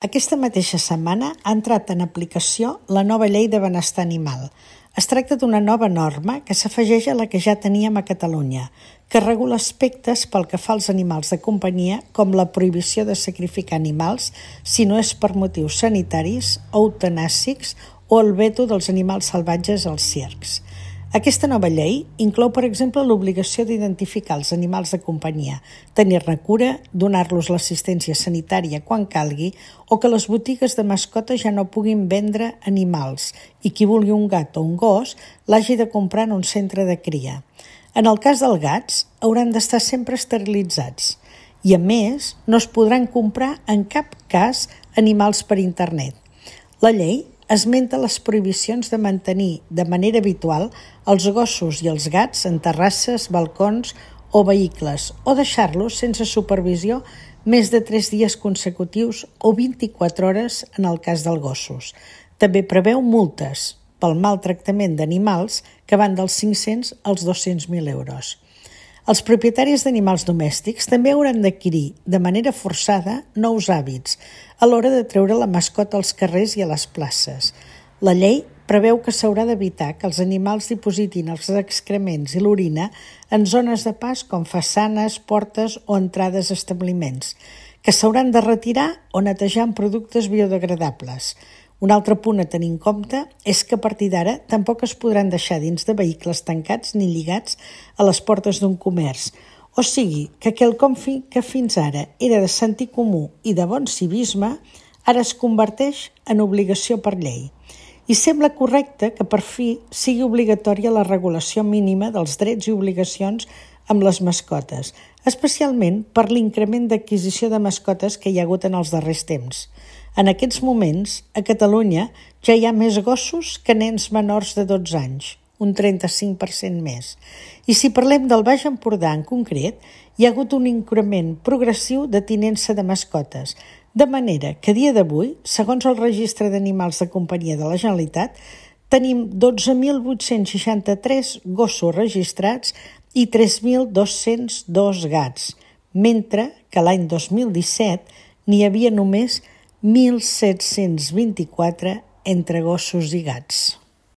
Aquesta mateixa setmana ha entrat en aplicació la nova Llei de Benestar Animal. Es tracta d'una nova norma que s'afegeix a la que ja teníem a Catalunya, que regula aspectes pel que fa als animals de companyia, com la prohibició de sacrificar animals si no és per motius sanitaris o eutanàsics o el veto dels animals salvatges als circs. Aquesta nova llei inclou, per exemple, l'obligació d'identificar els animals de companyia, tenir-ne cura, donar-los l'assistència sanitària quan calgui o que les botigues de mascotes ja no puguin vendre animals i qui vulgui un gat o un gos l'hagi de comprar en un centre de cria. En el cas dels gats, hauran d'estar sempre esterilitzats i, a més, no es podran comprar en cap cas animals per internet. La llei esmenta les prohibicions de mantenir de manera habitual els gossos i els gats en terrasses, balcons o vehicles o deixar-los sense supervisió més de 3 dies consecutius o 24 hores en el cas dels gossos. També preveu multes pel maltractament d'animals que van dels 500 als 200.000 euros. Els propietaris d'animals domèstics també hauran d'adquirir de manera forçada nous hàbits a l'hora de treure la mascota als carrers i a les places. La llei preveu que s'haurà d'evitar que els animals dipositin els excrements i l'orina en zones de pas com façanes, portes o entrades a establiments, que s'hauran de retirar o netejar amb productes biodegradables. Un altre punt a tenir en compte és que a partir d'ara tampoc es podran deixar dins de vehicles tancats ni lligats a les portes d'un comerç, o sigui que quelcom que fins ara era de sentit comú i de bon civisme, ara es converteix en obligació per llei. I sembla correcte que per fi sigui obligatòria la regulació mínima dels drets i obligacions amb les mascotes, especialment per l'increment d'adquisició de mascotes que hi ha hagut en els darrers temps. En aquests moments, a Catalunya ja hi ha més gossos que nens menors de 12 anys, un 35% més. I si parlem del Baix Empordà en concret, hi ha hagut un increment progressiu de tinença de mascotes, de manera que a dia d'avui, segons el Registre d'Animals de Companyia de la Generalitat, tenim 12.863 gossos registrats i 3.202 gats, mentre que l'any 2017 n'hi havia només 1.724 entre gossos i gats.